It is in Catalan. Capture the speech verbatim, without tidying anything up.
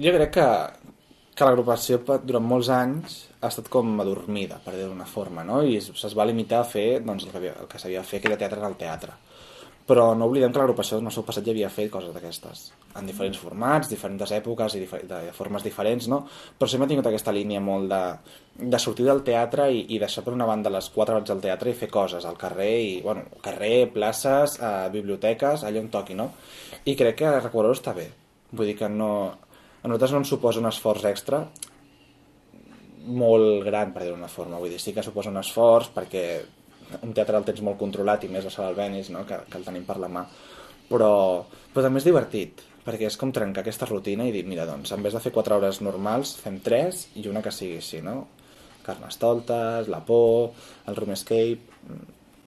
Jo crec que, que l'agrupació durant molts anys ha estat com adormida, per dir-ho d'una forma, no? I es, es va limitar a fer doncs, el que, havia, el que s'havia de fer, que era teatre en el teatre. Però no oblidem que l'agrupació en el seu passat ja havia fet coses d'aquestes, en diferents formats, diferents èpoques i difer de formes diferents, no? Però sempre ha tingut aquesta línia molt de, de sortir del teatre i, i deixar per una banda les quatre hores del teatre i fer coses al carrer, i, bueno, carrer, places, eh, biblioteques, allà on toqui, no? I crec que recuperar-ho està bé. Vull dir que no, a nosaltres no ens suposa un esforç extra molt gran, per dir-ho d'una forma. Vull dir, sí que suposa un esforç perquè un teatre el tens molt controlat i més la sala Albéniz, no? que, que el tenim per la mà, però, però també és divertit perquè és com trencar aquesta rutina i dir, mira, doncs en vez de fer quatre hores normals fem tres i una que sigui així, no? Carnestoltes, la por, el room escape,